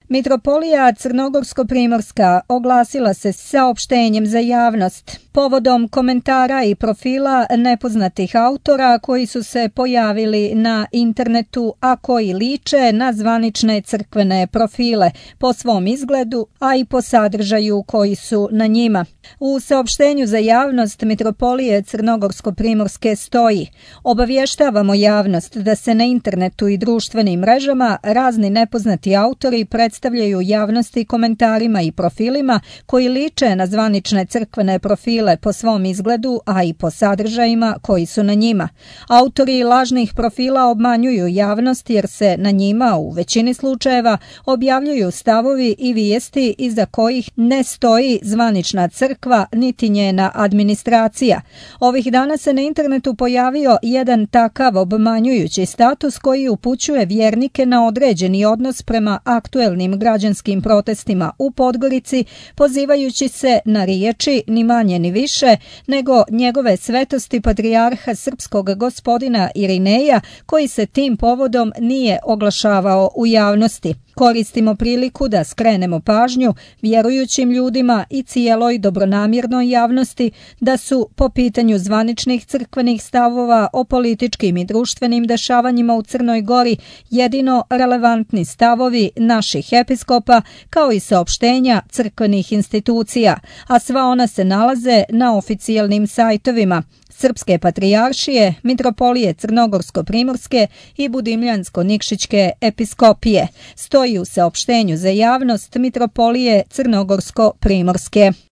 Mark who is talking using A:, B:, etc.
A: Mitropolija Crnogorsko-primorska oglasila se saopštenjem za javnost povodom komentara i profila nepoznatih autora koji su se pojavili na internetu, a koji liče na zvanične crkvene profile po svom izgledu, a i po sadržaju koji su na njima. U saopštenju za javnost Mitropolije Crnogorsko-primorske stoji: obavještavamo javnost da se na internetu i društvenim mrežama razni nepoznati autori predstavljaju javnosti komentarima i profilima koji liče na zvanične crkvene profile po svom izgledu, a i po sadržajima koji su na njima. Autori lažnih profila obmanjuju javnost jer se na njima u većini slučajeva objavljuju stavovi i vijesti iza kojih ne stoji zvanična crkva niti njena administracija. Ovih dana se na internetu pojavio jedan takav obmanjujući status koji upućuje vjernike na određeni odnos prema aktuelnim građanskim protestima u Podgorici, pozivajući se na riječi ni manje ni više nego njegove svetosti patrijarha srpskog gospodina Irineja, koji se tim povodom nije oglašavao u javnosti. Koristimo priliku da skrenemo pažnju vjerujućim ljudima i cijeloj dobronamjernoj javnosti da su po pitanju zvaničnih crkvenih stavova o političkim i društvenim dešavanjima u Crnoj Gori jedino relevantni stavovi naših episkopa kao i saopštenja crkvenih institucija, a sva ona se nalaze na oficijalnim sajtovima Srpske patrijaršije, Mitropolije Crnogorsko-primorske i Budimljansko-nikšićke episkopije, stoji u saopštenju za javnost Mitropolije Crnogorsko-primorske.